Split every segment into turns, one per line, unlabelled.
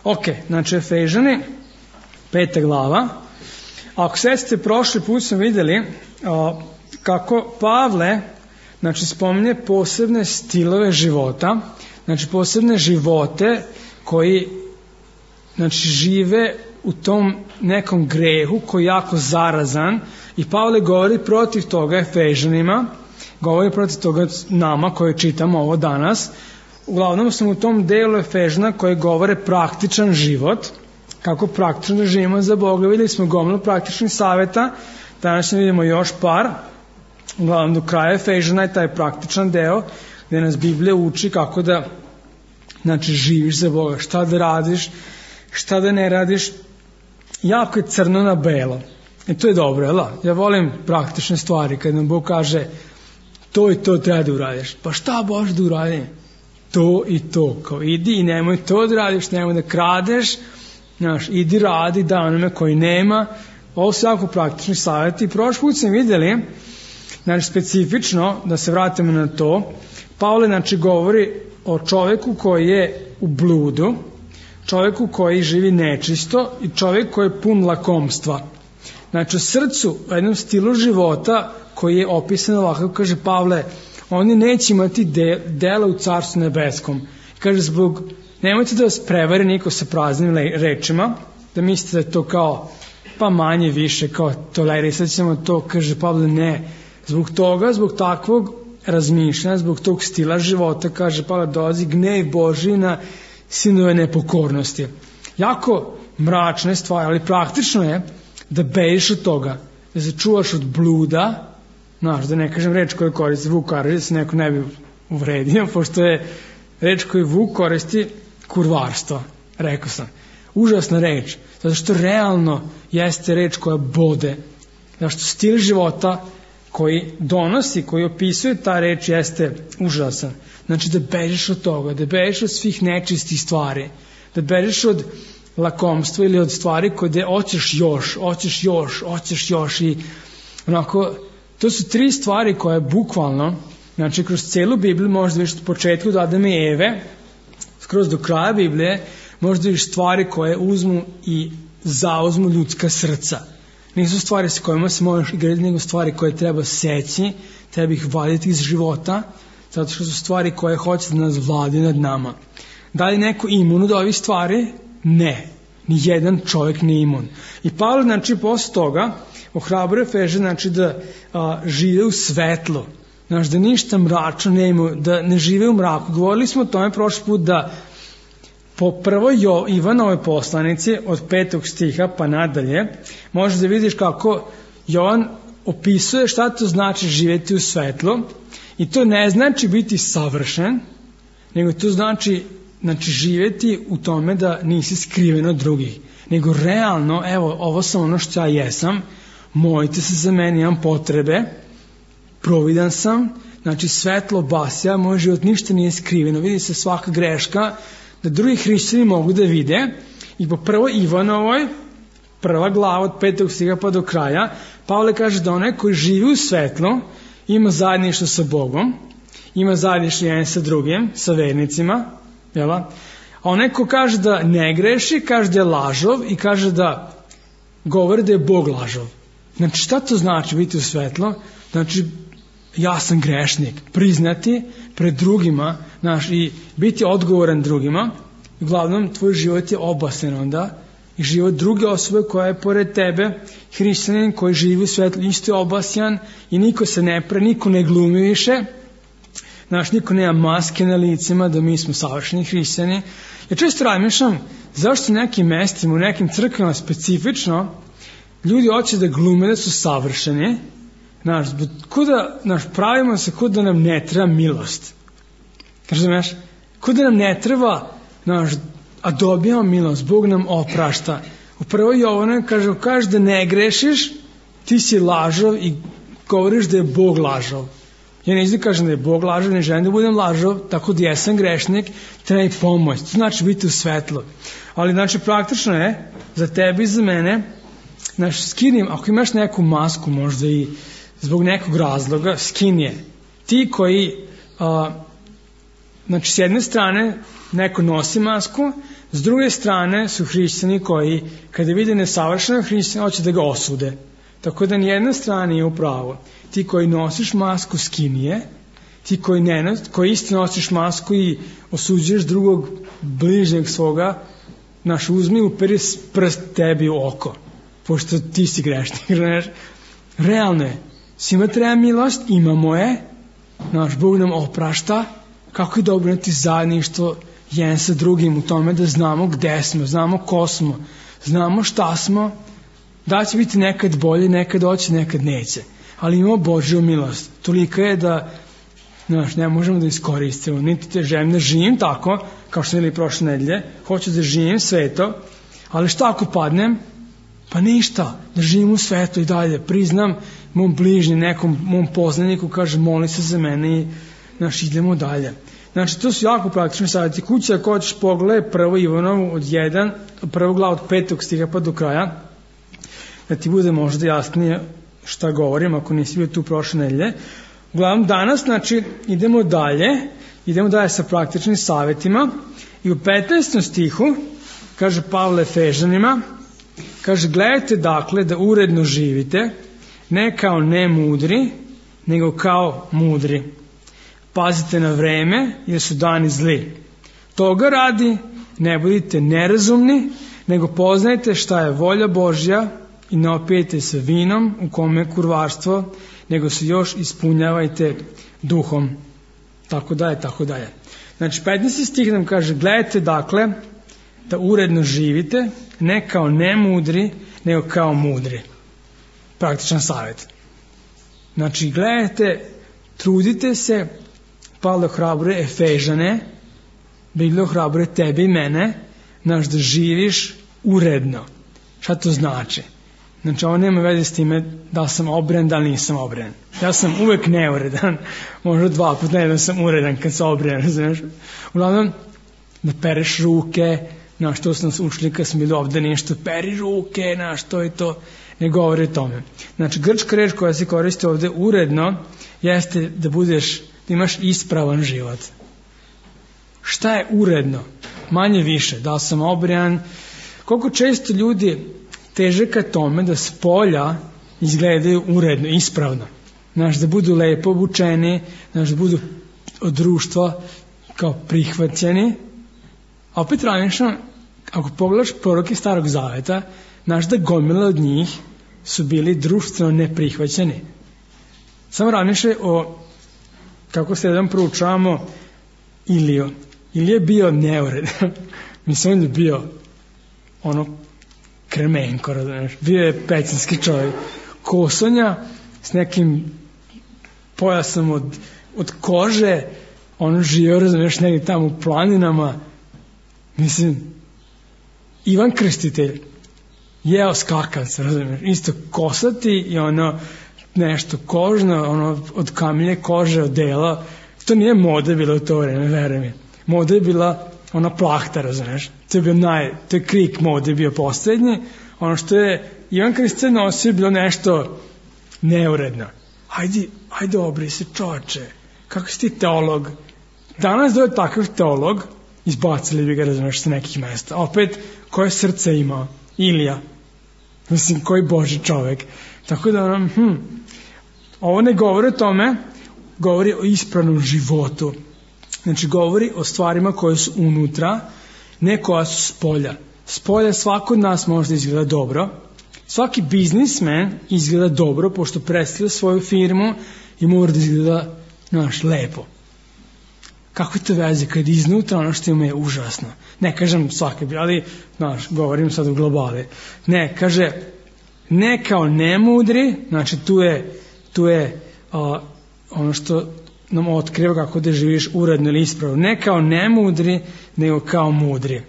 Ok, znači Efežani, 5. glava. Ako sećate, prošli put smo vidjeli kako Pavle, znači, spominje posebne stilove života, znači posebne živote koji, znači, žive u tom nekom grehu koji je jako zarazan, i Pavle govori protiv toga Efežanima, govori protiv toga nama koji čitamo ovo danas. Uglavnom sam u tom delu Efežana koji govore praktičan život, kako praktično da živimo za Boga. Vidjeli smo gomilu praktičnih savjeta, danas vidimo još par. Uglavnom do kraja Efežana je taj praktičan deo gdje nas Biblija uči kako da, znači, živiš za Boga, šta da radiš, šta da ne radiš. Jako je crno na belo i to je dobro, jel? Ja volim praktične stvari kad nam Bog kaže to i to treba da uradiš. Pa šta Bože da uradim? To i to, kao idi i nemoj to da radiš, nemoj da kradeš, znaš, idi radi, da onome koji nema. Ovo su jako praktični savjeti. Prošli put sam vidjeli, znači, specifično, da se vratimo na to, Pavle, znači, govori o čovjeku koji je u bludu, čovjeku koji živi nečisto i čovjek koji je pun lakomstva. Znači, u srcu, u jednom stilu života koji je opisan ovako, kaže Pavle, oni neće imati dela u Carstvu nebeskom. Kaže, nemojte da vas prevari niko sa praznim rečima, da mislite da je to kao, pa manje više, kao tolerisat ćemo to. Kaže Pavle, ne, zbog toga, zbog takvog razmišljanja, zbog tog stila života, kaže Pavle, dolazi gnev Božji na sinove nepokornosti. Jako mračne stvari, ali praktično je da bežiš od toga, da se čuvaš od bluda, znaš, da ne kažem reč koju koristi Vuk Karadžić, da se neko ne bi uvredio, pošto je reč koju Vuk koristi kurvarstvo, rekao sam. Užasna reč, zato što realno jeste reč koja bode, zato što stil života koji donosi, koji opisuje ta reč jeste užasan. Znači da bežiš od toga, da bežiš od svih nečistih stvari, da bežiš od lakomstva ili od stvari koje hoćeš još i onako, to su 3 stvari koje bukvalno, znači kroz cijelu Bibliju možda vidiš od početku od Adama i Eve, skroz do kraja Biblije, možda vidiš stvari koje uzmu i zauzmu ljudska srca. Nisu stvari s kojima se možeš igrati, nego stvari koje treba seći, treba ih vaditi iz života, zato što su stvari koje hoće da nas vladi nad nama. Da li neko imun od ovih stvari? Ne. Nijedan čovjek nije imun. I Pavle, znači, posle toga ohrabruje Efežane, znači, da žive u svetlu, znači, da ništa mračno ne imaju, da ne žive u mraku. Govorili smo o tome prošli put da po prvoj Ivanovoj poslanici od 5. stiha pa nadalje možeš da vidiš kako Jovan opisuje šta to znači živjeti u svetlu, i to ne znači biti savršen, nego to znači živjeti u tome da nisi skriven od drugih, nego realno, evo, ovo sam ono što ja jesam, molite se za mene, imam potrebe, providan sam, znači svetlo basja, moj život ništa nije skriveno, vidi se svaka greška, da drugi hrišćani mogu da vide. I po prvoj Ivanovoj, 1. glava od 5. stiha pa do kraja, Pavle kaže da onaj koji živi u svetlu ima zajedništvo sa Bogom, ima zajedništvo jedan sa drugim, sa vernicima, jel? A onaj ko kaže da ne greši, kaže da je lažov i kaže da govori da je Bog lažov. Znači, šta to znači biti u svetlu? Znači, ja sam grešnik, priznati pred drugima, i biti odgovoran drugima. Uglavnom, tvoj život je obasen onda, i život druge osobe koja je pored tebe, hrišćanin koji živi u svetlu, isto je obasjan, i niko se ne niko ne glumi više, niko nema maske na licima da mi smo savršeni hrišćani. Ja često razmišljam zašto u nekim mestima, u nekim crkvama specifično, ljudi hoće da glume da su savršeni, pravimo se kod da nam ne treba milost. Razumeš? Kod da nam ne treba, a dobijamo milost, Bog nam oprašta. U prvoj Jovanoj kaže da ne grešiš, ti si lažov i govoriš da je Bog lažov. Ja ne kažem da je Bog lažov, ne želim da budem lažov, tako da jesam grešnik, treba i pomoć. To znači biti u svetlu. Ali praktično je za tebe i za mene, skinim, ako imaš neku masku možda i zbog nekog razloga, skin je. Ti koji znači s jedne strane neko nosi masku, s druge strane su hrišćani koji kada vide nesavršenog hrišćana hoće da ga osude. Tako da nijedna strana nije u pravu. Ti koji nosiš masku skini je, ti koji isto nosiš masku i osuđuješ drugog bližnjeg svoga, uzmi uperi prst tebi u oko, pošto ti si grešnik. Realno je, svima treba milost, imamo je, naš Bog nam oprašta, kako je dobro imati zajedništvo jedan sa drugim u tome da znamo gde smo, znamo ko smo, znamo šta smo, da će biti nekad bolje, nekad hoće, nekad neće. Ali imamo Božju milost. Tolika je da ne možemo da iskoristimo. Niti te želim da živim tako, kao što smo bili prošle nedelje, hoću da živim sveto, ali šta ako padnem? Pa ništa, da živim u svetu i dalje. Priznam mom bližnjem, nekom mom poznaniku, kaže moli se za mene i idemo dalje. Znači, to su jako praktični savjeti. Kuća, ako hoćeš pogledaj 1. Ivanovu od 1, 1. glavu od 5. stiha pa do kraja, da ti bude možda jasnije šta govorim, ako nisi bio tu prošle nedelje. Uglavnom, danas, idemo dalje sa praktičnim savjetima i u 15. stihu, kaže Pavle Efežanima, kaže, gledajte dakle da uredno živite, ne kao nemudri, nego kao mudri. Pazite na vreme, jer su dani zli. Toga radi, ne budite nerazumni, nego poznajte šta je volja Božja i ne opijete se vinom u kome je kurvarstvo, nego se još ispunjavajte duhom. Tako dalje, tako dalje. Znači, 15. stih nam kaže, gledajte dakle da uredno živite, ne kao nemudri, nego kao mudri. Praktičan savjet. Znači, gledajte, trudite se, Pavle ohrabruje Efežane, Biblija ohrabruje tebe i mene, da živiš uredno. Šta to znači? Znači, ovo nema veze s time da sam obren, da li nisam obren. Ja sam uvek neuredan, možda 2 puta nedeljno sam uredan kad sam obren, znaš. Uglavnom, da pereš ruke, što su nas učili kad smo bili ovde nešto, peri ruke, to i to, ne govori o tome. Znači, grčka reč koja se koristi ovde uredno, jeste da imaš ispravan život. Šta je uredno? Manje više, da li sam obren, koliko često ljudi teže ka tome da spolja izgledaju uredno, ispravno. Da budu lepo obučeni, da budu od društva kao prihvaćeni. A opet razmišljam, ako pogledaš proroke Starog Zaveta, da gomila od njih su bili društveno neprihvaćeni. Samo razmišljaj o, kako se jedan proučavamo, Iliju. Ilija je bio neuredan. Mislim, on je bio kremenko, bio je pećinski čovjek. Kosonja s nekim pojasom od kože, živio, negdje tamo u planinama. Mislim, Ivan Krstitelj jeo skakavca, isto kosati i nešto kožno, od kamilje kože, od dela. To nije moda bila u to vreme, veruj mi. Moda je bila plahta, razumiješ. To je krik mode bio posljednji. Ono što je Ivan Krstitelj nosio je bilo nešto neuredno. Ajde obri se, čoče, kako si ti teolog? Danas da je takav teolog, izbacili bi ga, razumiješ, sa nekih mesta. Opet, koje srce imao? Ilija. Mislim, koji Boži čovek. Tako da, ovo ne govori o tome, govori o ispravnom životu. Znači, govori o stvarima koje su unutra, ne koja su spolja. Spolja svako od nas možda izgleda dobro. Svaki biznismen izgleda dobro, pošto predstavlja svoju firmu i mora da izgleda, lepo. Kako je to veze kad iznutra ono što ima je užasno? Ne kažem svaki, ali, govorim sad u globali. Ne, kaže, ne kao nemudri, znači tu je ono što nam otkriva kako da živiš uredno ili ispravno. Ne kao nemudri, nego kao mudri.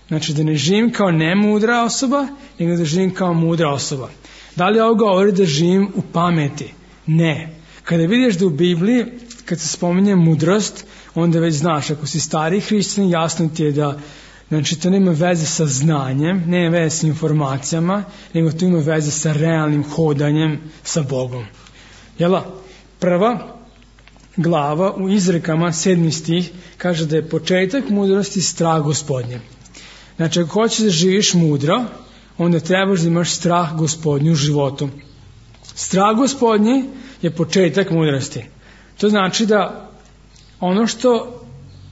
Znači da ne živim kao nemudra osoba, nego da živim kao mudra osoba. Da li ovo govori da živim u pameti? Ne. Kada vidiš da u Bibliji, kad se spominje mudrost, onda već znaš, ako si stari hrišćanin, jasno ti je da, znači, to nema veze sa znanjem, nema veze sa informacijama, nego to ima veze sa realnim hodanjem sa Bogom. Jela? Prva glava u Izrekama 7. stih kaže da je početak mudrosti strah Gospodnje. Znači, ako hoćeš da živiš mudro, onda trebaš da imaš strah Gospodnju u životu. Strah Gospodnji je početak mudrosti. To znači da ono što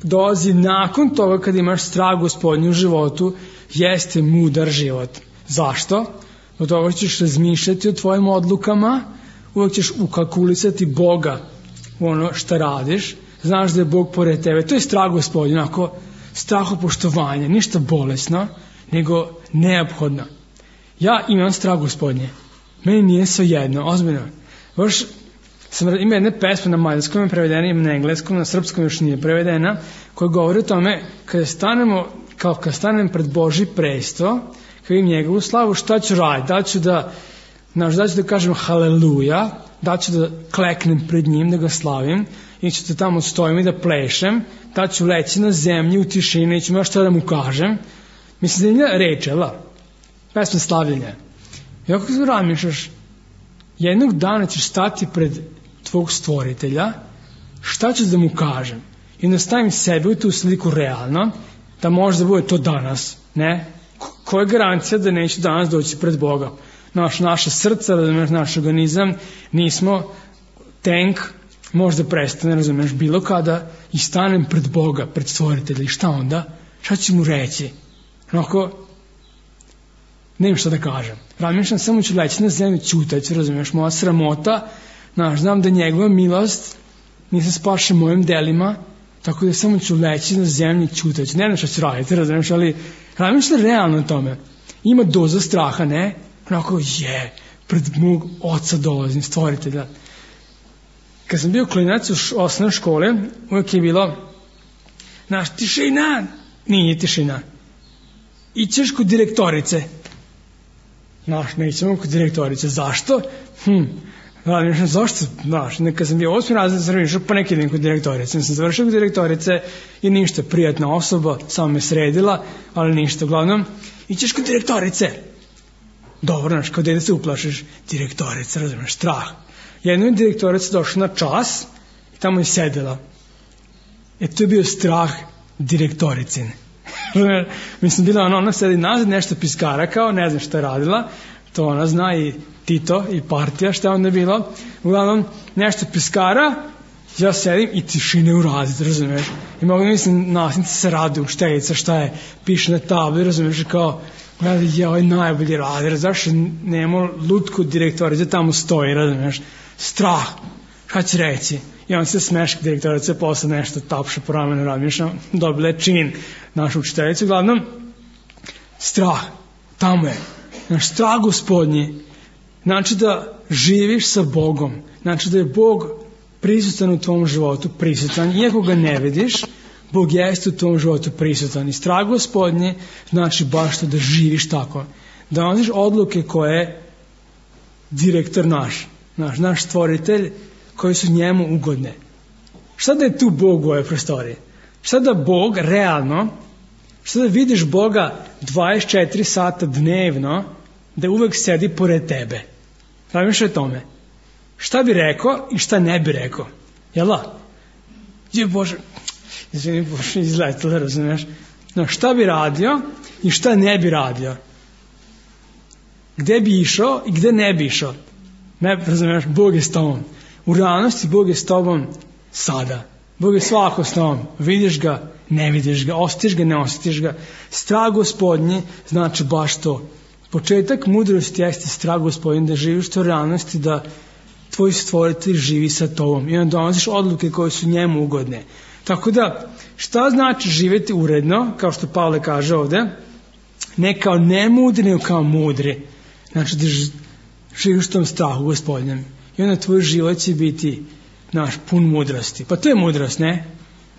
dolazi nakon toga kad imaš strah Gospodnju u životu jeste mudar život. Zašto? Od toga ćeš razmišljati o tvojim odlukama, uvijek ćeš ukalkulisati Boga u ono što radiš, znaš da je Bog pored tebe. To je strah Gospodnji, onako strahopoštovanje, ništa bolesno, nego neophodno. Ja imam strah Gospodnje. Meni nije svejedno, ozbiljno. Baš ima jedne pesme na mađarskom je prevedena, ima na engleskom, na srpskom još nije prevedena, koja govori o tome kada stanem pred Božji presto, kada vidim njegovu slavu, šta ću raditi? Da ću da kažem haleluja, da ću da kleknem pred njim, da ga slavim, i ću da tamo stojim i da plešem, da ću leći na zemlji u tišini i ću ima šta da mu kažem. Mislim da je reč, pesma slavljenja. I ako se razmišljaš, jednog dana ćeš stati pred tvog stvoritelja, šta ćeš da mu kažem? I onda stavim sebe u tu sliku realno, da može da bude to danas, ne? Koja je garancija da neću danas doći pred Boga? Naše srce, naš organizam, nismo tank, možda prestane, razumeš, bilo kada i stanem pred Boga, pred stvoritelja. I šta onda? Šta ću mu reći? Onako, nemam šta da kažem. Razmišljam, samo ću leći na zemlju, ćutać, razumiješ, moja sramota, znam da njegova milost nisam spašen mojim delima, tako da samo ću leći na zemlju, ćutać. Ne znam šta ću raditi, razumiješ, ali razmišljam realno o tome. Ima doza straha, ne? Onako, pred mog oca dolazim, stvoritelja. Kad sam bio klinac u osnovnoj škole, uvijek je bilo, tišina, nije tišina. Ićeš kod direktorice. Nećemo kod direktorice. Zašto? Zašto? Kad sam bio 8. razred, sam razmišljao, pa neki idem kod direktorice. Sam završio kod direktorice i ništa, prijatna osoba, samo me sredila, ali ništa, uglavnom, ićeš kod direktorice. Dobro, kao dete se uplašiš, direktorica, razumiješ, strah. Jedno je direktorica došla na čas i tamo je sedela. To je bio strah direktoricine. Mislim, bila ona sedi nazad, nešto piskara kao, ne znam šta je radila, to ona zna i Tito i partija šta je onda bilo. Uglavnom, nešto piskara, ja sedim i tišine u razred, razumiješ. I mogu mislim, nastavnici se rade, učiteljica šta je, piše na tabli, razumiješ, kao, gledaj, ovo je najbolji razred, zašto nemamo lutku direktorice, tamo stoji, razumiješ, strah, šta će reći? I on se smeška direktorice, posle nešto tapša po ramenu, razmišljam, dobila je čin našu učiteljicu, uglavnom, strah, tamo je, strah Gospodnji, znači da živiš sa Bogom, znači da je Bog prisutan u tvom životu, prisutan, iako ga ne vidiš, Bog jeste u tvom životu prisutan i strah Gospodnji znači baš to da živiš tako, da donosiš odluke koje direktor naš stvoritelj, koje su njemu ugodne. Šta da je tu Bog u ovoj prostoriji? Šta da Bog realno, šta da vidiš Boga 24 sata dnevno, da uvek sedi pored tebe? Razmišljaj o tome. Šta bi rekao i šta ne bi rekao? Jel'a? Bože, izvini, Bože, izletilo, razumiješ? Šta bi radio i šta ne bi radio? Gde bi išao i gde ne bi išao? Ne, razumiješ, Bog je s tobom. U realnosti Bog je s tobom sada. Bog je svako s tobom. Vidiš ga, ne vidiš ga, osjetiš ga, ne osjetiš ga. Strah Gospodnji znači baš to. Početak mudrosti jeste strah Gospodnji, da živiš u realnosti, da tvoj stvoritelj živi sa tobom i onda donosiš odluke koje su njemu ugodne. Tako da, šta znači živjeti uredno, kao što Pavle kaže ovde, ne kao nemudri, nego kao mudri. Znači da živiš u tom strahu Gospodnjem. I onda tvoj život će biti pun mudrosti. Pa to je mudrost, ne?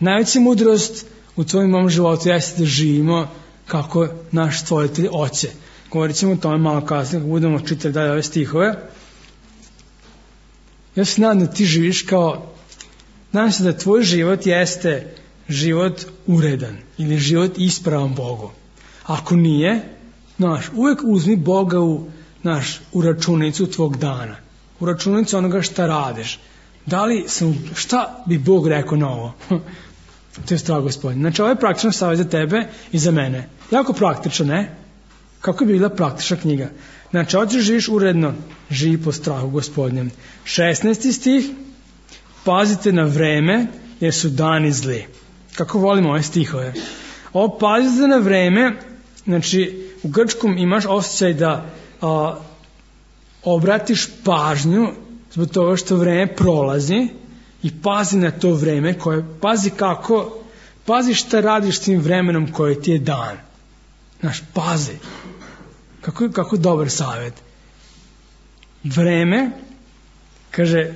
Najveća mudrost u tvojom mom životu jeste da živimo kako naš stvoritelj hoće. Govorit ćemo o tome malo kasnije, kako budemo čitati dalje ove stihove. Ja se nadam da ti živiš nadam se da tvoj život jeste život uredan ili život ispravan Bogu. Ako nije, uvek uzmi Boga u računicu tvog dana. U računicu onoga šta radiš. šta bi Bog rekao na ovo? To je strah Gospodin. Znači, ovo je praktičan savjet za tebe i za mene. Jako praktično, ne? Kako bi bila praktična knjiga? Znači, hoćeš živiš uredno, živi po strahu Gospodnjem. 16. stih, pazite na vreme, jer su dani zli. Kako volimo ove stihove. Ovo pazite na vreme, znači, u grčkom imaš osjećaj da obratiš pažnju zbog toga što vreme prolazi i pazi na to vreme pazi šta radiš s tim vremenom koje ti je dan. Znaš, pazi. Kako dobar savjet. Vreme, kaže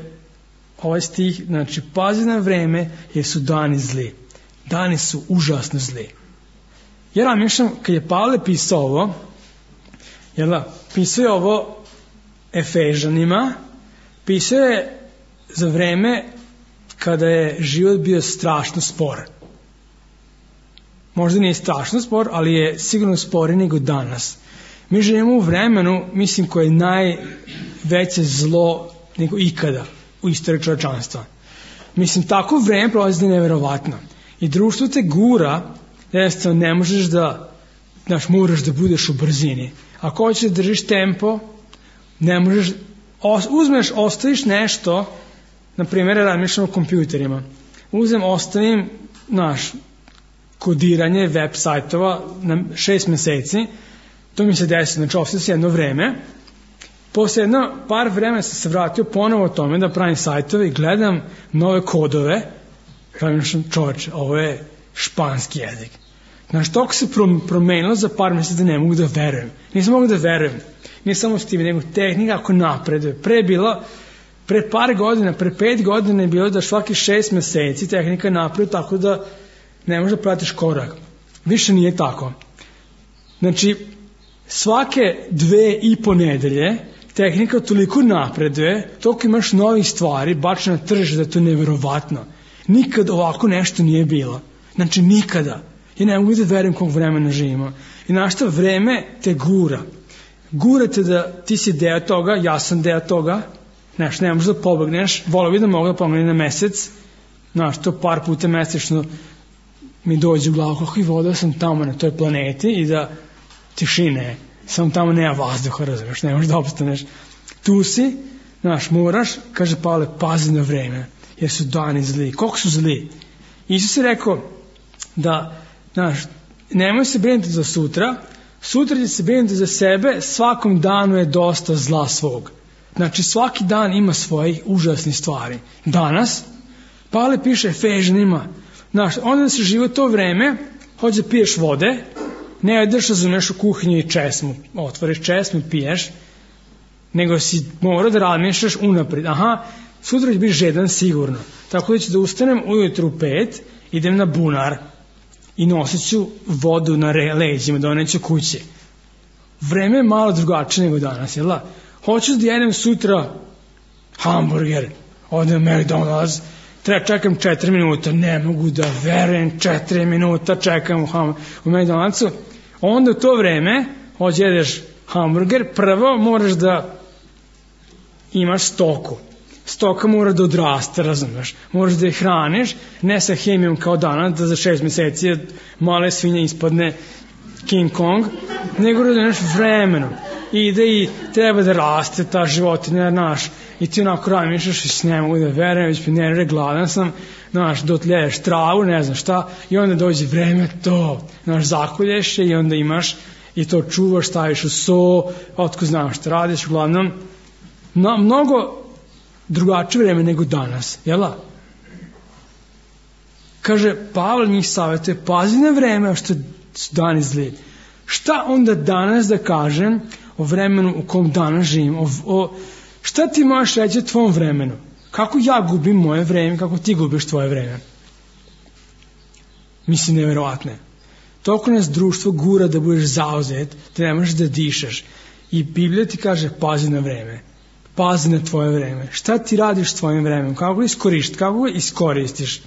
ovaj stih, znači pazi na vreme jer su dani zli. Dani su užasno zli. Ja razmišljam, kad je Pavle pisao ovo, pisao je ovo Efežanima, pisao je za vreme kada je život bio strašno spor. Možda nije strašno spor, ali je sigurno sporiji nego danas. Mi živimo u vremenu, mislim, koje je najveće zlo nego ikada u istoriji čovječanstva. Mislim, tako vreme prolazi nevjerovatno. I društvo te gura, jednostavno ne možeš moraš da budeš u brzini. Ako hoćeš da držiš tempo, ne možeš, ostaviš nešto, na primjer, razmišljam o kompjuterima. Ostavim kodiranje web sajtova na 6 mjeseci, to mi se desi, znači ostavim se jedno vreme, posle par vremena sam se vratio ponovo o tome da pravim sajtove i gledam nove kodove, razmišljam, čovječe, ovo je španski jezik. Znači, toliko se promenilo za par mjeseci da ne mogu da verujem. Nisam mogu da verujem. Nije samo s tim, nego tehnika ako napreduje. Pre par godina, pre 5 godina je bilo da svaki 6 mjeseci tehnika napreduje tako da ne možeš da pratiš korak. Više nije tako. Znači, svake 2,5 nedelje tehnika toliko napreduje, toliko imaš novih stvari, baš na tržište da je to nevjerovatno. Nikad ovako nešto nije bilo. Znači, nikada. Ja ne mogu da verujem kog vremena živimo. I našta vreme te gura. Gura te da ti si deo toga, ja sam deo toga. Znaš, ne možeš da pobegneš. Volio bi da mogu da pobegnem na mesec. Znaš, to par puta mesečno mi dođe u glavu kako i vodio sam tamo na toj planeti i da tišine. Samo tamo nema vazduha, razumiješ, ne možeš da opstaneš. Tu si, znaš, moraš, kaže Pavle, pazi na vreme, jer su dani zli. Koliko su zli? Isus je rekao da, znaš, nemoj se brinuti za sutra, sutra će se brinuti za sebe, svakom danu je dosta zla svog. Znači, svaki dan ima svojih užasnih stvari. Danas, Pavle piše Efežanima, znaš, onda se živo to vreme, hoće da piješ vode, ne ideš, razumeš, u kuhinju i česmu, otvoriš česmu i piješ, nego si morao da razmišljaš unaprijed. Aha, sutra će biti žedan sigurno. Tako da ću da ustanem ujutru u 5, idem na bunar i nosit ću vodu na leđima, doneću kući. Vreme je malo drugačije nego danas, jel da? Hoću da jedem sutra hamburger, odem u McDonald's, čekam 4 minuta, ne mogu da verujem, 4 minuta čekam u McDonald'su, onda u to vreme hoće jedeš hamburger, prvo moraš da imaš stoku. Stoka mora da odraste, razumeš, moraš da je hraniš, ne sa hemijom kao danas, da za 6 mjeseci male svinje ispadne King Kong, nego da znaš vremenom. Ide i treba da raste ta životinja, znaš, i ti onako razmišljaš i s ne mogu da verujem, već ne gladan sam, znaš, dotljeješ travu, ne znam šta, i onda dođe vreme to, znaš, zakolješ je i onda imaš i to čuvaš, staviš u so, otko znaš šta radiš, uglavnom, mnogo drugačije vreme nego danas, jela? Kaže, Pavle njih savjetuje, pazi na vreme što su dani zli. Šta onda danas da kažem o vremenu u kom danas živim? Šta ti možeš reći o tvom vremenu? Kako ja gubim moje vreme, kako ti gubiš tvoje vreme? Mislim, nevjerovatno. Toliko nas društvo gura da budeš zauzet, da ne možeš da dišeš. I Biblija ti kaže, pazi na vreme. Pazi na tvoje vreme. Šta ti radiš s tvojim vremenom? Kako ga iskoristiš?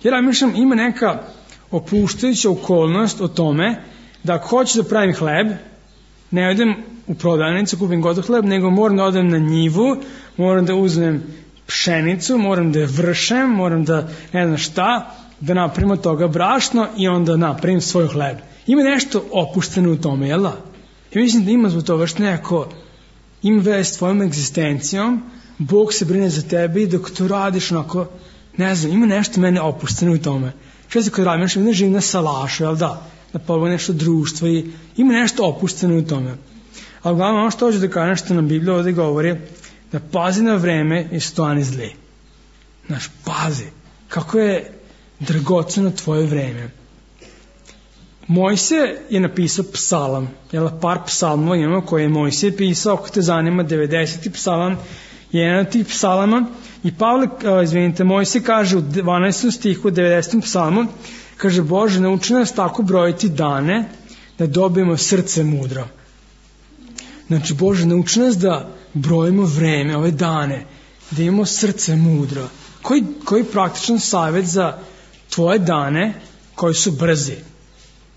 Jer ja mislim, ima neka opuštajuća okolnost o tome da ako hoćeš da pravim hleb, ne odem u prodavnicu, kupim gotov hleb, nego moram da odem na njivu, moram da uzmem pšenicu, moram da je vršem, moram da ne znam šta, da napravim od toga brašno i onda napravim svoj hleb. Ima nešto opušteno u tome, jel da? Ja mislim da ima zbog toga što nekako ima veze s tvojom egzistencijom, Bog se brine za tebe i dok to radiš onako, ne znam, ima nešto mene opušteno u tome. Što se kod radim, ne živim na salašu, jel da? Da pogledam nešto društvo i ima nešto opušteno u tome. Ali uglavnom ono što hoću da kažem što nam Biblija ovdje govori, da pazi na vreme i stani zli. Znaš, pazi, kako je dragoceno tvoje vreme. Mojsije je napisao psalam, jel, par psalmova imamo koje je Mojsije pisao, ako te zanima, 90. psalam je jedan od tih psalama i Mojsije kaže u 12. stihu 90. psalmu, kaže, Bože, nauči nas tako brojiti dane da dobijemo srce mudro. Znači, Bože, nauči nas da brojimo vreme, ove dane, da imamo srce mudro. Koji praktičan savjet za tvoje dane koji su brzi?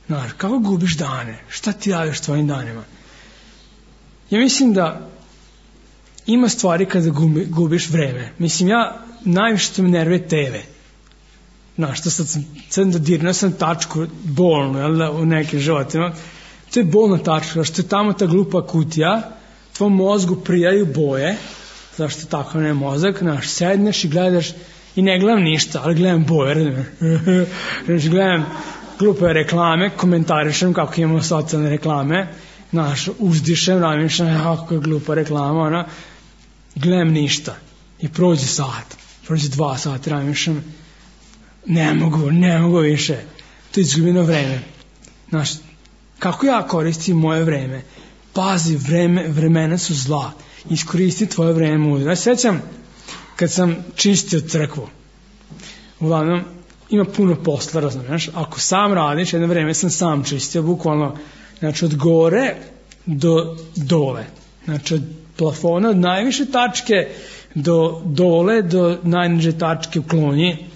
Znaš, kako gubiš dane? Šta ti radiš tvojim danima? Ja mislim da ima stvari kada gubiš vreme. Mislim, ja najviše što me nervuje TV. Znaš, što sad dodirnuo sam tačku bolnu, jel da, u nekim životima. To je bolna tačka, što je tamo ta glupa kutija, tvom mozgu prijaju boje, zašto tako ne mozak, znaš, sedneš i gledaš i ne gledam ništa, ali gledam boje, znači gledam glupe reklame, komentarišem kako imamo socijalne reklame, znaš, uzdišem, razmišljam, kako je glupa reklama, ona, gledam ništa i prođe sat, prođe 2 sata, razmišljam, ne mogu više, to je izgubljeno vreme, znaš, kako ja koristim moje vreme? Pazi, vremena su zla. Iskoristi tvoje vreme mudro. Ja se sjećam kad sam čistio crkvu. Uglavnom, ima puno posla, razumiješ? Ako sam radiš, jedno vreme sam sam čistio, bukvalno, znači od gore do dole. Znači od plafona, od najviše tačke do dole, do najniže tačke u klonji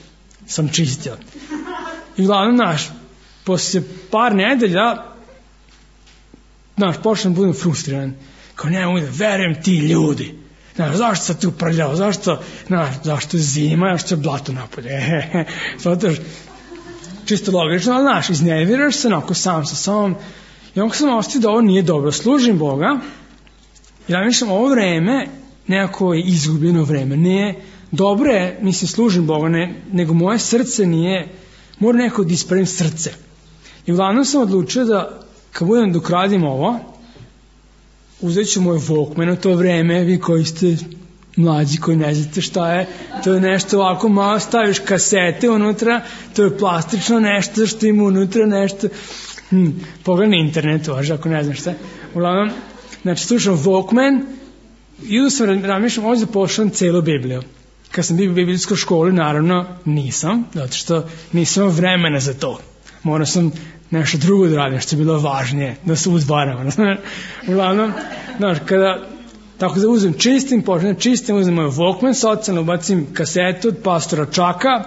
sam čistio. I uglavnom, znaš, poslije par nedelja, znaš, počnem budem frustriran. Kao ne mogu da verujem ti ljudi. Znaš, zašto sam tu prljao? Zašto je zima? Zašto je blato napolje? Zato čisto logično, ali znaš, iznerviraš se onako sam sa sobom. I onako sam ostio da ovo nije dobro. Služim Boga. I ja mislim, ovo vreme nekako je izgubljeno vreme. Ne, dobro je, mislim, služim Boga, nego moje srce nije, mora nekako da ispravim srce. I uglavnom sam odlučio da kad budem dok radim ovo, uzet ću moj Walkman u to vreme, vi koji ste mlađi, koji ne znate šta je, to je nešto ovako malo, staviš kasete unutra, to je plastično nešto što ima unutra nešto, pogledaj na internetu, ako ne znaš šta. Uglavnom, znači slušam Walkman, idu sam, razmišljam, ovdje pošlam celu Bibliju. Kad sam bio u biblijskoj školi, naravno nisam, zato što nisam imao vremena za to. Morao sam nešto drugo da radim, što je bilo važnije, da se udvaram. Uglavnom, znaš, kada tako da uzem čistim, uzem moj Walkman, socijalno ubacim kasetu od pastora Čaka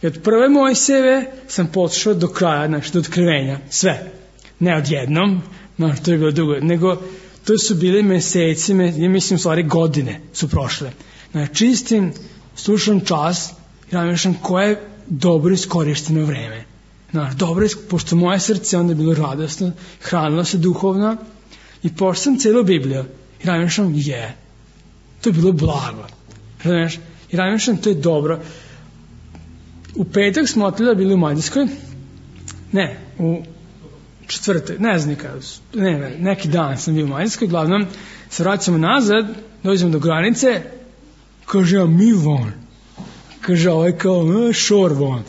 i od prve Mojsijeve sam poslušao do kraja, znači do otkrivenja, sve. Ne odjednom, znaš, to je bilo dugo, nego to su bili meseci, ja mislim, stvari godine su prošle. Znači, čistim, slušam čas i razmišljam koje je dobro iskorišteno vreme. Znaš, dobro, pošto moje srce onda je bilo radosno, hranilo se duhovno i pošto sam cijelu Bibliju i razmišljam, to je bilo blago. Razumiješ? I razmišljam, to je dobro. U petak smo otleda bili u Mađarskoj, u četvrtak, ne znam nikada, neki dan sam bio u Mađarskoj, glavnom se vraćamo nazad, dođemo do granice, kaže ja mi von, kaže ovaj kao šor von.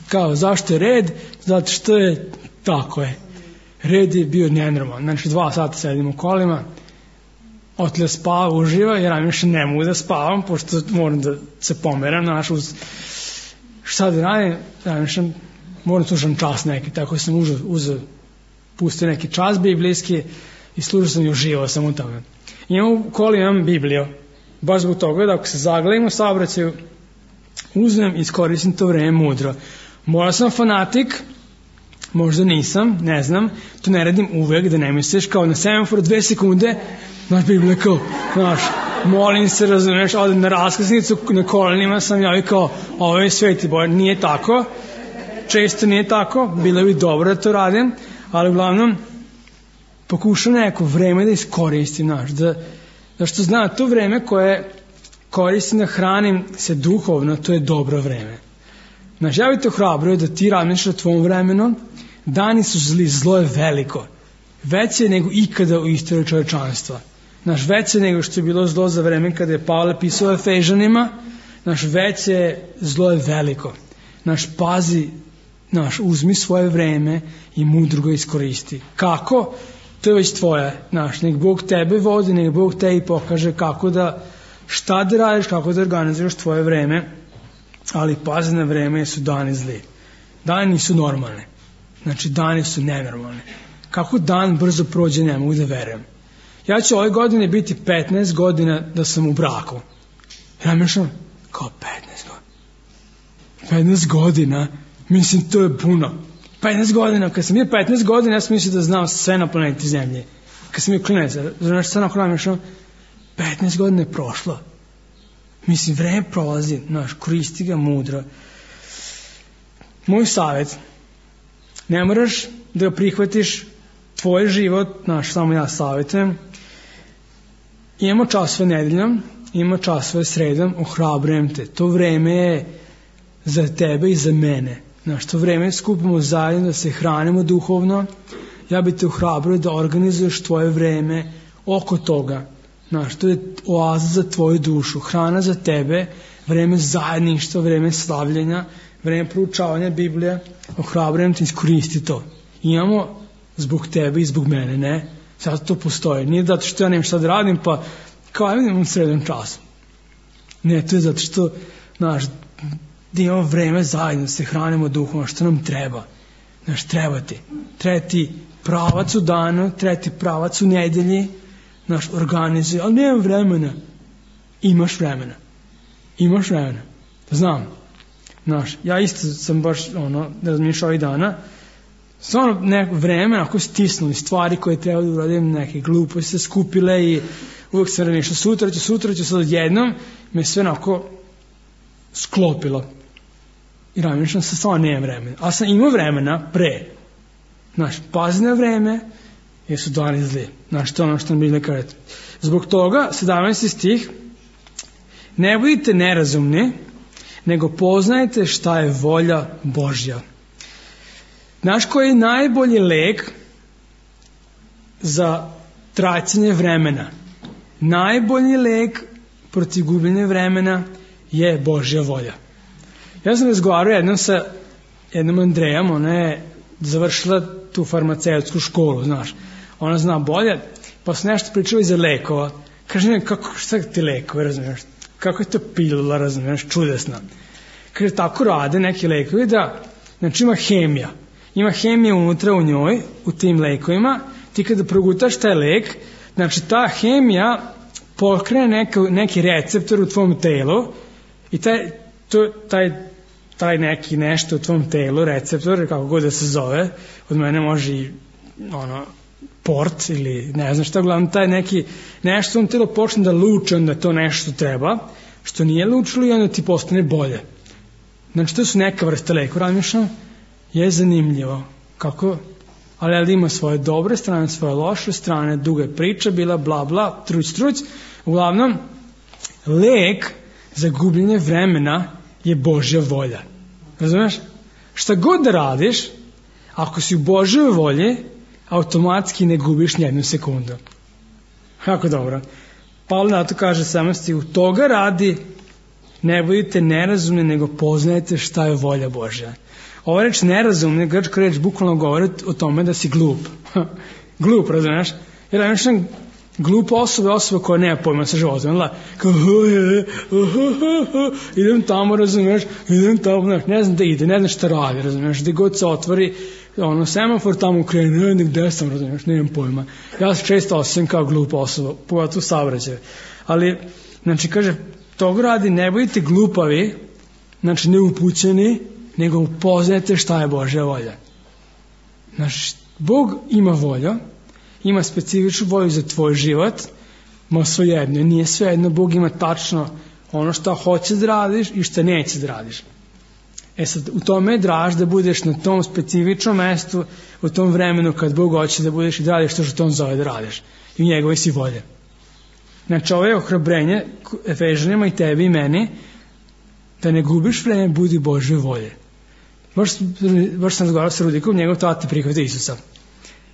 Kao, zašto je red? Zato što je, tako je, red je bio nenormalan. Znači 2 sata sedim u kolima, otle spava, uživa, jer ja više ne mogu da spavam, pošto moram da se pomeram, šta da radim, moram slušam čas neki, tako sam pustio neki čas biblijski i slušao sam i uživao sam u tome. Imam u koli, imam Bibliju, baš zbog toga da ako se zaglavim u saobraćaju, uzmem i iskoristim to vreme mudro. Morao sam fanatik, možda nisam, ne znam, to ne radim uvek, da ne misliš, kao na semaforu 2 sekunde, znaš, Biblija kao, znaš, molim se, razumeš, odem na raskrsnicu, na kolenima sam ja i kao, ovo je sveti Bože, nije tako, često nije tako, bilo bi dobro da to radim, ali uglavnom pokušam neko vreme da iskoristim, znaš, da što znam, to vreme koje koristim da hranim se duhovno, to je dobro vreme. Znaš, ja bih te ohrabrio da ti razmišljaš o tvom vremenu, dani su zli, zlo je veliko, veće nego ikada u istoriji čovečanstva. Znaš, veće nego što je bilo zlo za vreme kada je Pavle pisao Efežanima, znaš, veće zlo je veliko. Znaš, pazi, znaš, uzmi svoje vreme i mudro ga iskoristi. Kako? To je već tvoje, znaš, nek Bog tebe vodi, nek Bog tebi pokaže kako da, šta da radiš, kako da organizuješ tvoje vreme, ali pazi na vreme jer su dani zli. Dani nisu normalne, znači dani su nenormalne. Kako dan brzo prođe, ne mogu da verujem. Ja ću ove godine biti 15 godina da sam u braku. Ja mišljam, kao 15 godina, mislim to je puno. 15 godina, kad sam bio 15 godina, ja sam mislio da znam sve na planeti Zemlje. Kad sam bio klinac, znaš šta nakon mišljam, 15 godina je prošlo. Mislim, vreme prolazi, znaš, koristi ga mudro. Moj savjet, ne moraš da prihvatiš tvoj život, znaš, samo ja savjetujem. Imamo časove nedeljom, imamo časove sredom, ohrabrujem te. To vreme je za tebe i za mene. Znaš, to vreme skupimo zajedno da se hranimo duhovno. Ja bih te ohrabrio da organizuješ tvoje vreme oko toga. Znaš, to je oaza za tvoju dušu, hrana za tebe, vreme zajedništva, vreme slavljenja, vreme proučavanja Biblije. Ohrabrujem te, iskoristi to. Imamo zbog tebe i zbog mene, ne? Zato to postoji. Nije zato što ja nemam šta da radim, pa kao idem u srednjem času. Ne, to je zato što, znaš, da imamo vreme zajedno, se hranimo duhom, što nam treba. Znaš, treba ti pravac u danu, treba ti pravac u nedelji, znaš, organizuje, ali nemam vremena. Imaš vremena. Znam. Znaš, ja isto sam baš, razmišljao ovih dana, stvarno neko vreme, ako stisnuli stvari koje treba da uradim, neke gluposti se skupile i uvijek sam razmišljao, sutra ću sad odjednom, me sve onako sklopilo. I razmišljam se, stvarno nemam vremena. Ali sam imao vremena pre. Znaš, pazi na vreme, jer su dani zli. Znaš, to ono što nam Biblija kaže. Zbog toga, 17. stih, ne budite nerazumni, nego poznajte šta je volja Božja. Znaš koji je najbolji lek za tracanje vremena? Najbolji lek protiv gubljenja vremena je Božja volja. Ja sam razgovarao jednom sa jednom Andrejom, ona je završila tu farmaceutsku školu, znaš. Ona zna bolje, pa su nešto pričali za lekova. Kaže, ne, šta ti lekovi, razumiješ? Kako je to pilula, razumiješ, čudesna. Kaže, tako rade neki lekovi da, znači ima hemija. Ima hemija unutra u njoj, u tim lekovima. Ti kada progutaš taj lek, znači ta hemija pokrene neki receptor u tvom telu i taj neki nešto u tvom telu, receptor, kako god da se zove, od mene može i port ili ne znam šta, uglavnom taj neki nešto u tvom telu počne da luče, onda to nešto treba, što nije lučilo i onda ti postane bolje. Znači to su neka vrsta lekova, razmišljam, je zanimljivo kako, ali ima svoje dobre strane, svoje loše strane, duga priča bila, bla bla, truć, uglavnom lek za gubljenje vremena je Božja volja. Razumeš? Šta god da radiš, ako si u Božjoj volji, automatski ne gubiš ni jednu sekundu. Kako dobro. Pavle na to kaže samosti, u toga radi, ne budite nerazumni, nego poznajte šta je volja Božja. Ova reč nerazumni, grčka reč bukvalno govori o tome da si glup. Glup, razumeš? Jer razumeš, glupa osoba koja nema pojma sa životom, kao idem tamo, razumeš, ne znam da ide, ne znam šta radi, razumeš, gde god se otvori semafor tamo krene, gde sam, razumeš, nemam pojma. Ja se često osjećam kao glupa osoba, pogotovo u saobraćaju. Ali, znači, kaže, toga radi, ne budite glupavi, znači neupućeni, nego upoznajte šta je Božja volja. Znači, Bog ima volju, ima specifičnu volju za tvoj život, ma svejedno, nije svejedno, Bog ima tačno ono što hoće da radiš i što neće da radiš. Sad, u tome je draž da budeš na tom specifičnom mestu, u tom vremenu kad Bog hoće da budeš i da radiš to što on zove da radiš. I u njegove si volje. Znači, ovo je ohrabrenje Efežanima i tebi i meni, da ne gubiš vreme, budi Božje volje. Baš sam razgovarao sa Rudikom, njegov tata prihvata Isusa.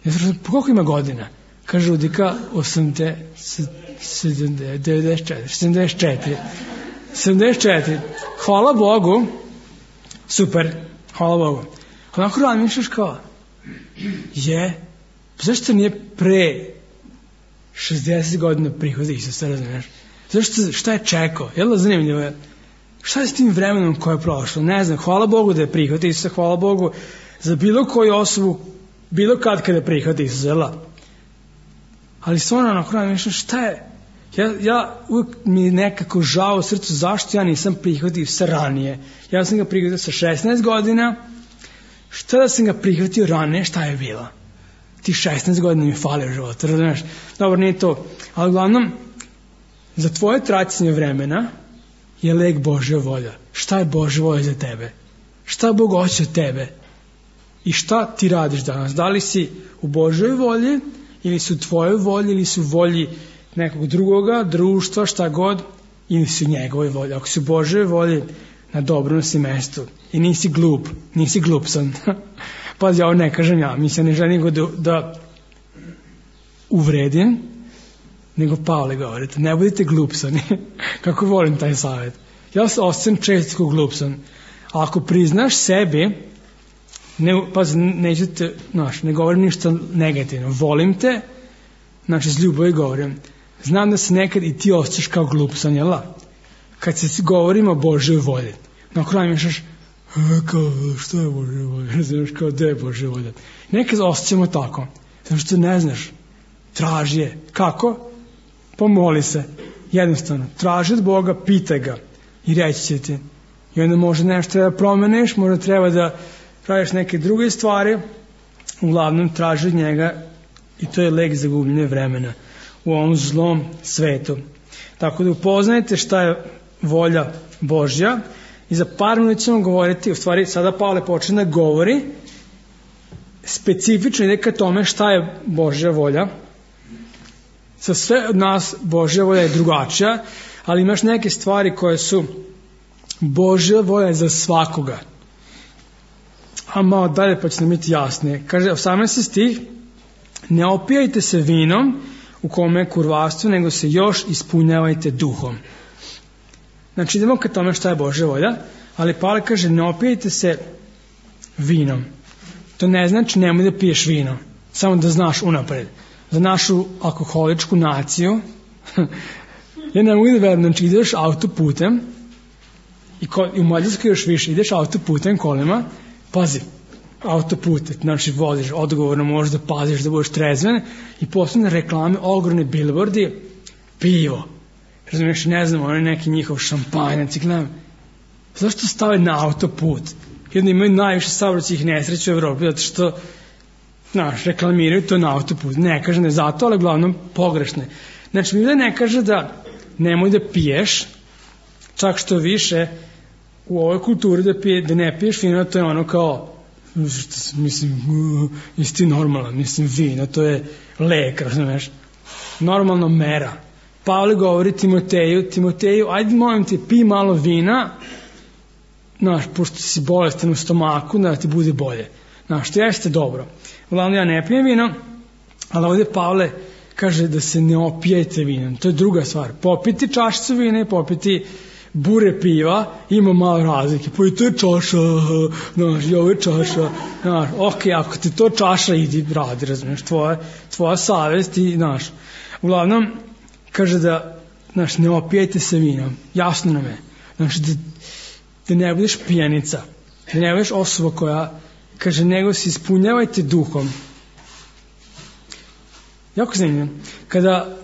Ja sam rekao, koliko ima godina? Kaže Rudika, 74. Hvala Bogu. Super, hvala Bogu. Onako razmišljaš kao, zašto nije pre 60 godina prihvata Isusa, razumiješ? Šta je čekao? Jel' zanimljivo je? Šta je s tim vremenom koje je prošlo? Ne znam, hvala Bogu da je prihvata Isusa, hvala Bogu za bilo koju osobu, bilo kada prihvata Isusa, jel'? Ali stvarno onako razmišljaš, šta je? Ja uvijek mi je nekako žao u srcu zašto ja nisam prihvatio se ranije. Ja sam ga prihvatio sa 16 godina. Šta da sam ga prihvatio ranije, šta je bilo? Ti 16 godina mi fali u životu, razumiješ? Dobro, nije to. Ali uglavnom, za tvoje tracanje vremena je lek Božja volja. Šta je Božja volja za tebe? Šta Bog hoće od tebe? I šta ti radiš danas? Da li si u Božjoj volji, ili su u tvojoj volji, ili su u volji nekog drugoga, društva, šta god, ili su u njegovoj volji. Ako si u Božjoj volji, na dobrom si mestu. I nisi glup, nisi glupsan. Pazi, ovo ne kažem ja, mi se ne želim da uvredim, nego Pavle govorite, ne budite glupsani. Kako volim taj savjet. Ja se osjećam često glupsan. A ako priznaš sebi, ne govorim ništa negativno, volim te, znači s ljubavi govorim. Znam da se nekad i ti osjećaš kao glupsan, jel' da? Kad se govorimo o Božjoj volji, na kraju mišljaš, kao, što je Božja volja? Ne znaš kao, gde je Božja volja? Nekad osjećamo tako, zato što ne znaš, traži je. Kako? Pomoli se. Jednostavno, traži od Boga, pitaj ga i reći će ti. I onda možda nešto treba da promeniš, možda treba da praviš neke druge stvari, uglavnom traži od njega i to je lek za gubljenje vremena u ovom zlom svetu. Tako da upoznajte šta je volja Božja i za par minuta ćemo govoriti, u stvari sada Pavle počne da govori specifično ide ka tome šta je Božja volja. Za sve od nas Božja volja je drugačija, ali imaš neke stvari koje su Božja volja za svakoga. A malo dalje pa će nam biti jasnije. Kaže 18. stih, ne opijajte se vinom u kome je kurvarstvo, nego se još ispunjavajte duhom. Znači idemo ka tome šta je Božja volja, ali Pavle kaže ne opijajte se vinom. To ne znači nemoj da piješ vino, samo da znaš unapred. Za našu alkoholičku naciju, ja ne mogu da verujem, znači ideš autoputem i u Mađarskoj još više, ideš autoputem kolima, pazi, autopute, znači voziš odgovorno, možeš da paziš da budeš trezven i posebne reklame, ogromne billboardi, pivo, razumiješ, ne znam, ono je neki njihov šampanjac i gledam, zašto stave na autoput? Jedno imaju najviše saobraćajnih nesreća u Evropi, zato što reklamiraju to na autoput. Ne kažem da je zato, ali uglavnom pogrešne. Znači, Biblija ne kaže da nemoj da piješ, čak što više u ovoj kulturi da ne piješ vino, to je ono kao, mislim, jesi ti normalan, mislim, vino, to je lek, razumeš, normalno mera. Pavle govori Timoteju, ajde molim te, pij malo vina, pošto si bolestan u stomaku, da ti bude bolje. Što jeste dobro. Uglavnom ja ne pijem vino, ali ovdje Pavle kaže da se ne opijajte vinom. To je druga stvar. Popiti čašicu vina i popiti bure piva, ima malo razlike. Pa i to je čaša, i ovo je čaša. Ok, ako ti to čaša, idi radi, razumiješ, tvoja savest i, uglavnom, kaže da, ne opijajte se vinom. Jasno nam je. Da ne budeš pijenica, da ne budeš osoba koja, kaže, nego se ispunjavajte duhom. Jako zanimljivo. Kada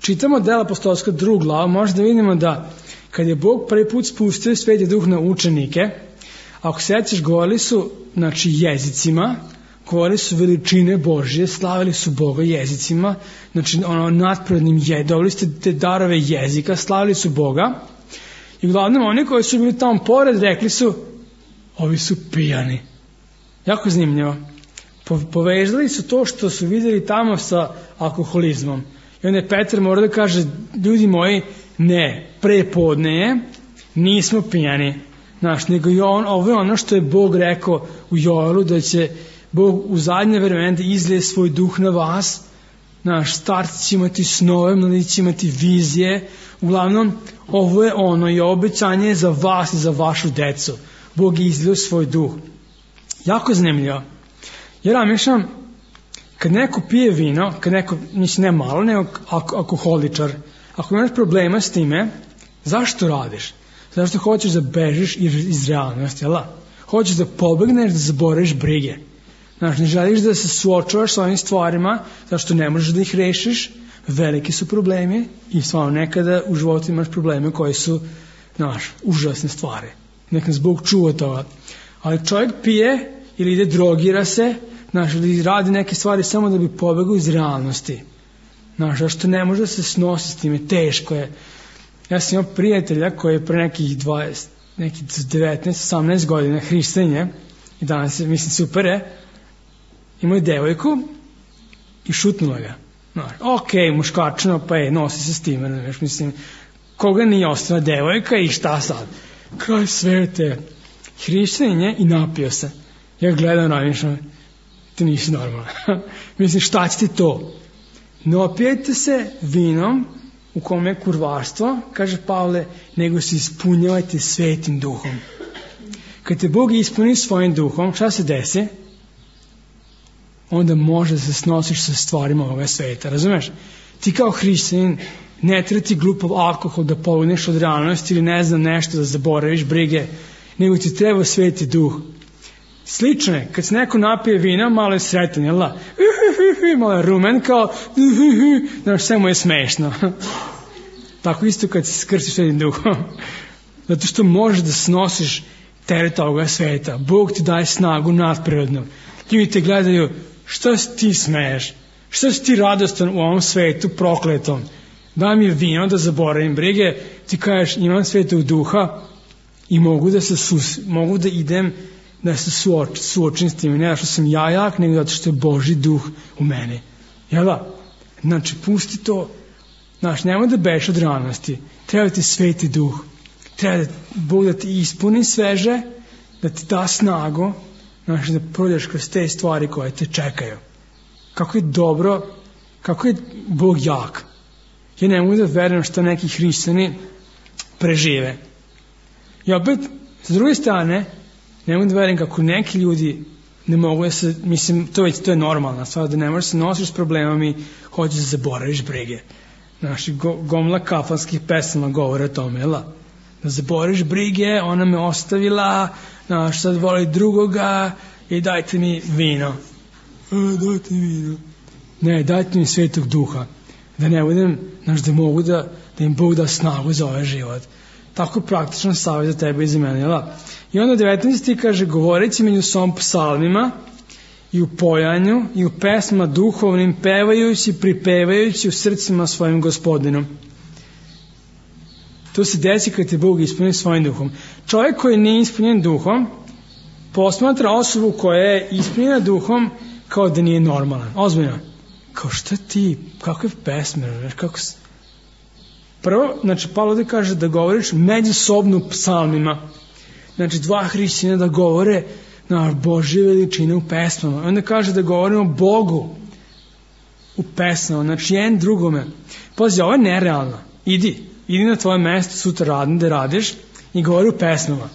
čitamo dela apostolska 2. glava, možda vidimo da kad je Bog prvi put spustio Sveti Duh na učenike, ako sećaš, govorili su, jezicima, govorili su veličine Božje, slavili su Boga jezicima, znači nadprirodnim dobili ste te darove jezika, slavili su Boga i uglavnom oni koji su bili tamo pored rekli su, ovi su pijani. Jako zanimljivo. Povezali su to što su vidjeli tamo sa alkoholizmom. I onda je Petar mora da kaže, ljudi moji, ne, prepodne je, nismo pijani. Nego i ovo je ono što je Bog rekao u Joelu, da će Bog u zadnje vremena da izlije svoj duh na vas. Starci će imati snove, mladi će imati vizije. Uglavnom, ovo je ono i obećanje za vas i za vašu decu. Bog je izlio svoj duh. Jako zanimljivo. Jer razmišljam, kad neko pije vino, kad neko, mislim ne malo, nego alkoholičar, ako imaš problema s time, zašto radiš? Zašto hoćeš da bežiš iz realnosti, jel? Hoćeš da pobegneš, da zaboraviš brige. Ne želiš da se suočavaš s ovim stvarima, zašto ne možeš da ih rešiš, veliki su problemi i stvarno nekada u životu imaš probleme koji su, užasne stvari. Nek nas Bog čuva toga. Ali čovjek pije ili ide drogira se, ili radi neke stvari samo da bi pobegao iz realnosti. Zašto ne može da se snosi s time, teško je. Ja sam imao prijatelja koji je pre nekih 19-18 godina hrišćanin i danas je, mislim, super je, imao je devojku i šutnula ga. Ok, muškačino, pa nosi se s time, mislim, koga nije ostala devojka i šta sad? Kraj svete, hrišćanin je i napio se. Ja gledam, razmišljam, ti nisi normalan. Mislim, šta će ti to? Ne opijete se vinom u kome je kurvarstvo, kaže Pavle, nego se ispunjavajte svetim duhom. Kad te Bog ispuni svojim duhom, šta se desi? Onda može da se snosiš sa stvarima ovoga sveta, razumeš? Ti kao hrišćanin ne treba ti glupav alkohol da pobegneš od realnosti ili ne znam nešto da zaboraviš brige, nego ti treba sveti duh. Slično je, kad se neko napije vina, malo je sretan, jel da? Malo je rumen, kao sve mu je smešno. Tako isto kad se skrstiš svetim duhom. Zato što možeš da snosiš teret ovoga sveta. Bog ti daje snagu nadprirodnu. Ljudi te gledaju, što si ti smeješ? Što si ti radostan u ovom svetu prokletom? Daj mi vino da zaboravim brige, ti kažeš imam svetog duha i mogu da idem da se suočim s tim, ne što sam ja jak, nego zato što je Božji duh u meni. Jel da? Znači, pusti to. Nemoj da beš od realnosti. Treba ti sveti duh. Treba Bog da ti ispuni sveže, da ti da snagu, da prođeš kroz te stvari koje te čekaju. Kako je dobro, kako je Bog jak. Ja ne mogu da verujem što neki hrišćani prežive. I opet, s druge strane, ne mogu da verujem kako neki ljudi ne mogu da se, mislim, to je normalna stvar, da ne možeš se nosiš s problemom i hoćeš da zaboraviš brige. Gomla kafanskih pesama govore o tome, jel? Da zaboraviš brige, ona me ostavila, sad voli drugoga i dajte mi vino. Dajte mi vino. Ne, dajte mi svetog duha. Da ne budem, da mogu da im Bog da snagu za ovaj život. Tako praktično savjet za tebe i za mene, jel? I onda 19. kaže, govoreći među sobom psalmima i u pojanju i u pesmama duhovnim, pevajući, pripevajući u srcima svojim Gospodinom. To se desi kad te Bog ispuni svojim duhom. Čovjek koji nije ispunjen duhom posmatra osobu koja je ispunjena duhom kao da nije normalan. Ozbiljno. Kao šta ti, kakve pesme, kako se... Prvo, Pavle ovdje kaže da govoriš međusobno psalmima. Dva hrišćana da govore na Božje veličine u pesmama. Onda kaže da govorimo Bogu u pesmama. jedan drugome. Pazi, ovo je nerealno. Idi na tvoje mesto sutra da radiš i govori u pesmama.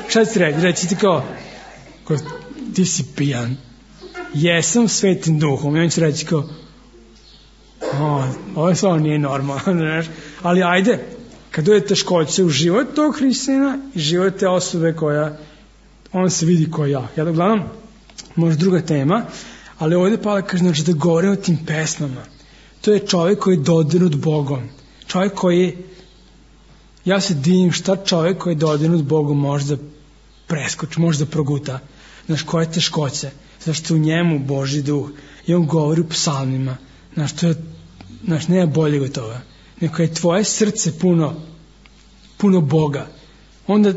Šta ti reći? Reći ti kao ti si pijan. Jesam svetim duhom. I on će reći kao ovo stvarno nije normalno. Ali ajde, kad dođe teškoće u život tog hrišćanina i život te osobe koja on se vidi ko ja. Uglavnom, možda druga tema, ali ovdje Pavle kaže da govore o tim pesmama. To je čovjek koji je dodirnut Bogom. Čovjek koji, ja se divim šta čovjek koji je dodirnut Bogom može da preskoči, može da proguta. Znaš, koje teškoće? Zašto u njemu Božji duh i on govori u psalmima. Znaš, nema boljeg od toga. Neko je tvoje srce puno Boga. Onda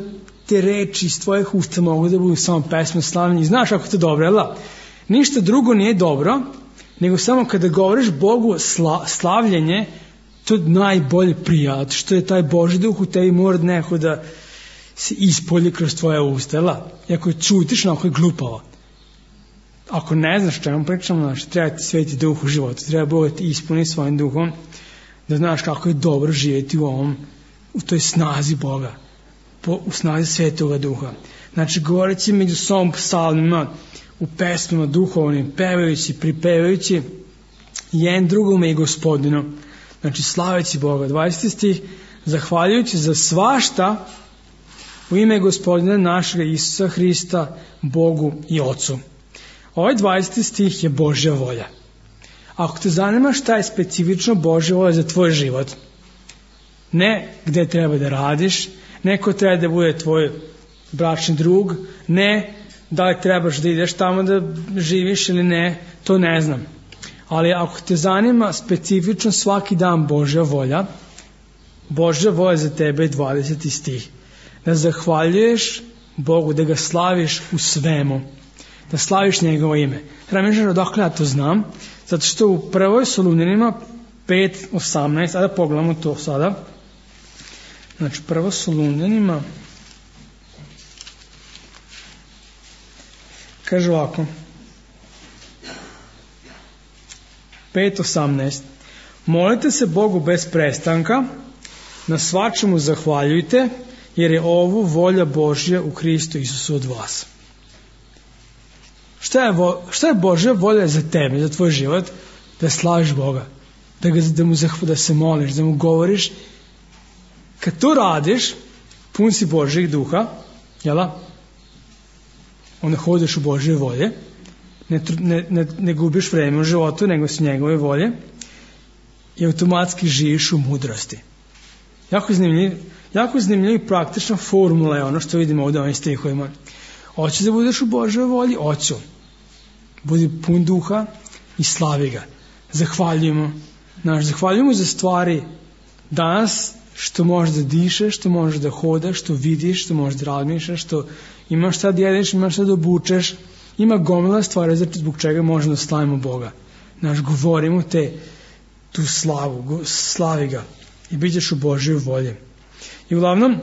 te reči iz tvojih usta mogu da budu samo pesme slavljenja. I znaš ako to dobro, jel? Ništa drugo nije dobro, nego samo kada govoriš Bogu slavljenje, to najbolje prija, što je taj Božji duh u tebi mora neko da se ispolji kroz tvoje usta, jel? I ako čutiš, ako je glupavo. Ako ne znaš čemu pričamo, znači, treba ti sveti duh u životu, treba Bog da ti ispuni svojim duhom, da znaš kako je dobro živjeti u toj snazi Boga, u snazi svetoga duha. Znači, govoreći među sobom psalmima, u pesmama duhovnim, pevajući, pripevajući jedan drugome i Gospodinu. Znači, slaveći Boga. 20. stih, zahvaljujući za svašta u ime Gospodina našega Isusa Hrista, Bogu i Ocu. Ovaj 20. stih je Božja volja. Ako te zanima šta je specifično Božja volja za tvoj život, ne gde treba da radiš, ne ko treba da bude tvoj bračni drug, ne da li trebaš da ideš tamo da živiš ili ne, to ne znam. Ali ako te zanima specifično svaki dan Božja volja za tebe je 20. stih. Da zahvaljuješ Bogu, da ga slaviš u svemu, da slaviš njegovo ime. Treba mi odakle ja to znam, zato što u 1. Solunjanima 5:18, a da pogledamo to sada. Znači 1. Solunjanima kaže ovako 5:18, molite se Bogu bez prestanka, na svačemu zahvaljujte, jer je ovo volja Božja u Hristu Isusu od vas. Šta je Božja volja za tebe, za tvoj život? Da slaviš Boga, da se moliš, da mu govoriš. Kad to radiš, pun si Božjeg duha, jela? Onda hodiš u Božje volje, ne gubiš vreme u životu, nego su njegove volje i automatski živiš u mudrosti. Jako zanimljiva i praktična formula je ono što vidimo ovdje u ovim stihovima. Hoćeš da budeš u Božjoj volji? Hoću. Budi pun duha i slavi ga. Zahvaljujemo za stvari danas što možeš da dišeš, što možeš da hodaš, što vidiš, što možeš da razmišljaš, što imaš šta da jedeš, imaš šta da obučeš. Ima gomila stvari zbog čega možemo da slavimo Boga. Govorimo tu slavu, slavi ga i bit ćeš u Božjoj volji. I uglavnom,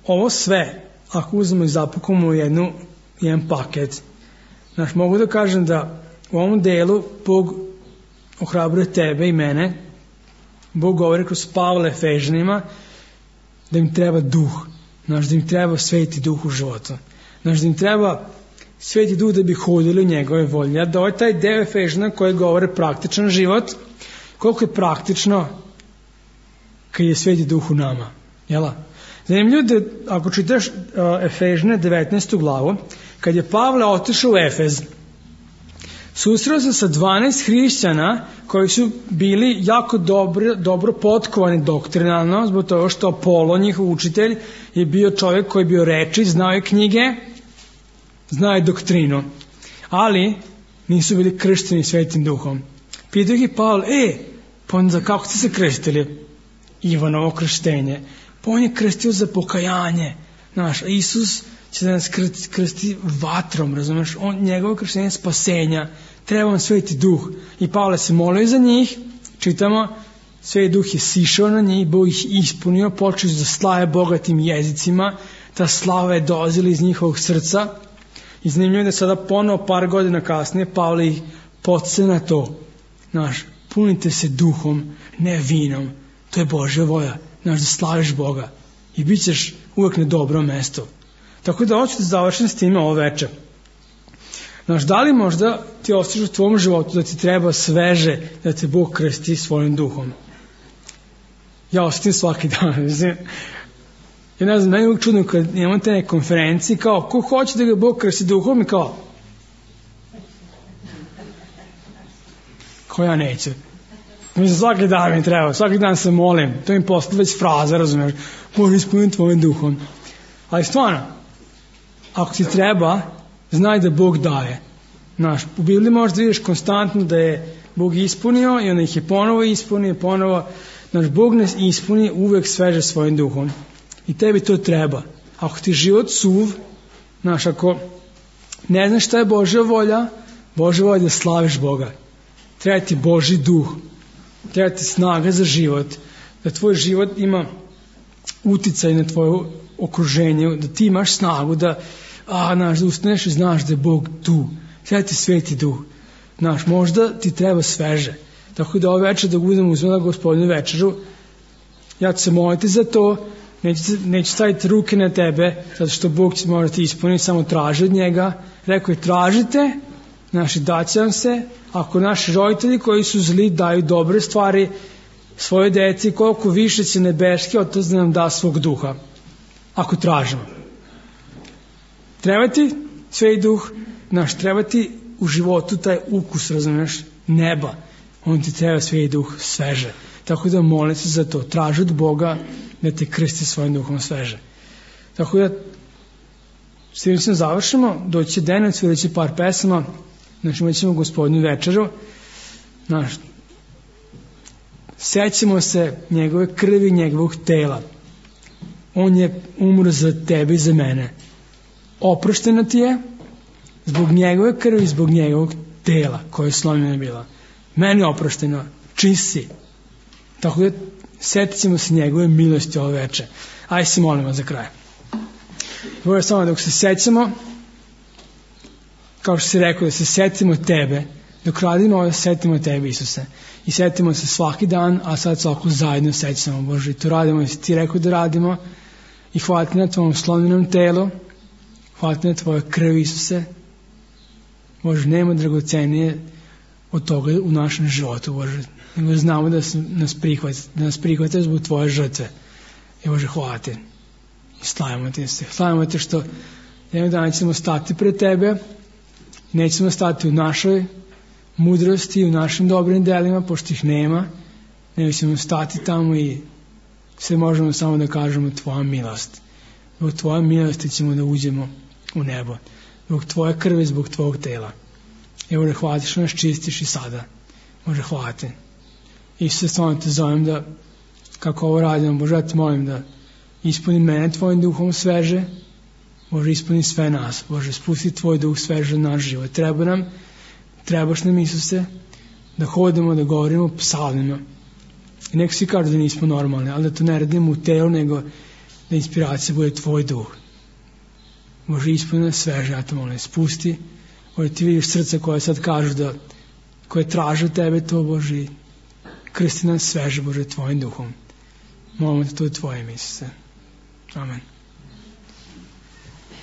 ovo sve, ako uzmemo i zapakujemo u jedan paket, mogu da kažem da u ovom delu Bog ohrabruje tebe i mene. Bog govori kroz Pavla Efežanima da im treba duh, da im treba sveti duh u životu, da im treba sveti duh da bi hodili u njegove volje. Da ovaj taj deo Efežana koji govore praktičan život, koliko je praktično kad je sveti duh u nama. Jela? Zanimljivo da ako čitaš Efežane 19. glavu, kad je Pavle otišao u Efez, susreo se sa 12 hrišćana koji su bili jako dobro potkovani doktrinalno, zbog toga što Apolo, njihov učitelj, je bio čovjek koji je bio rečit, znao je knjige, znao je doktrinu, ali nisu bili kršteni svetim duhom. Pitao ih je Pavle, pa onda kako ste se krstili? Ivanovo krštenje. Pa on je krstio za pokajanje. Isus će da nas krsti vatrom, razumeš? Njegovo krštenje je spasenja. Treba vam sveti duh. I Pavle se molio za njih. Čitamo, sveti duh je sišao na njih, Bog ih ispunio, počeli su da slave bogatim jezicima. Ta slava je dolazila iz njihovog srca. I zanimljivo je da sada ponovo par godina kasnije Pavle ih podsjeća na to. Punite se duhom, ne vinom. To je Božja volja. Da slaviš Boga. I bit ćeš uvijek na dobrom mestu. Tako da hoću da završim s time ovo večer. Da li možda ti osjećaš u tvom životu da ti treba sveže da te Bog krsti svojim duhom? Ja osjetim svaki dan. Ja ne znam, meni je uvijek čudno kad imamo te neke konferencije, kao, ko hoće da ga Bog krsti duhom i kao ja neću. Svaki dan mi treba, svaki dan se molim, to mi postane već fraza, razumiješ, Bože ispunim tvojim duhom. Ali stvarno, ako ti treba, znaj da Bog daje. Znaš, u Bibliji možda vidiš konstantno da je Bog ispunio i onda ih je ponovo ispunio, ponovo. Znaš, Bog nas ispuni uvek sveže svojim duhom. I tebi to treba. Ako ti život suv, znaš, ako ne znaš šta je Božja volja je da slaviš Boga. Treba ti Božji duh. Treba ti snaga za život. Da tvoj život ima uticaj na tvoje okruženje, da ti imaš snagu, da ustaneš i znaš da je Bog tu. Treba ti Sveti duh. Znaš, možda ti treba sveže. Tako da ove večer dok budemo uzmeli Gospodinu večeru, ja ću se moliti za to, neću staviti ruke na tebe, zato što Bog će morati ispuniti, samo traži od njega. Rekao je, tražite, naši daće vam se, ako naši roditelji koji su zli daju dobre stvari svoje deci, koliko više će nebeski Otac da nam da svog duha, ako tražimo. Treba ti Sveti duh, treba ti u životu taj ukus, razumiješ, neba, on ti treba Sveti duh sveže. Tako da molim se za to, traži od Boga da te krsti svojim duhom sveže. Tako da s tim se završimo, doći će Dejan, svirat će par pesama, imat ćemo Gospodinu večeru, sećamo se njegove krvi, njegovog tela. On je umro za tebe i za mene. Oprošteno ti je zbog njegove krvi, zbog njegovog tela koje je slomljeno bila. Meni je oprošteno, čist si. Tako da setit ćemo se njegove milosti ove večer. Ajde se molimo za kraj. Bože, samo dok se sećamo, kao što si rekao, da se setimo tebe, dok radimo ovo, setimo tebe, Isuse. I setimo se svaki dan, a sad svako zajedno sećamo, Bože. I to radimo, jesi ti rekao da radimo. I hvala ti na tvojom slomljenom telu, hvala ti na tvoje krvi, Isuse. Bože, nema dragocenije od toga u našem životu, Bože. Nego znamo da nas prihvate zbog tvoje žrtve. I Bože, hvala ti. I slavimo ti se. Slavimo ti što jednog dana ćemo stati pred tebe, nećemo stati u našoj mudrosti, u našim dobrim delima, pošto ih nema, nego ćemo stati tamo i sve možemo samo da kažemo tvoja milost. Zbog tvoje milosti ćemo da uđemo u nebo. Zbog tvoje krvi, zbog tvojeg tela. I Bože, hvala ti što nas čistiš i sada. Bože, hvala ti. Isuse, stvarno te zovem da, kako ovo radimo, Bože, ja te molim da ispuni mene tvojim duhom sveže, Bože, ispuni sve nas, Bože, spusti tvoj duh sveže na naš život. Trebaš nam, Isuse, da hodimo, da govorimo psalmima. I neko svi kažu da nismo normalni, ali da to ne radimo u telu, nego da inspiracija bude tvoj duh. Bože, ispuni nas sveže, ja te molim, spusti. Bože, ti vidiš srce koje sad kažu da, koje traže od tebe to, Bože, krsti nas sveže, Bože, tvojim duhom. Molimo te to u tvojim, Isuse. Amen.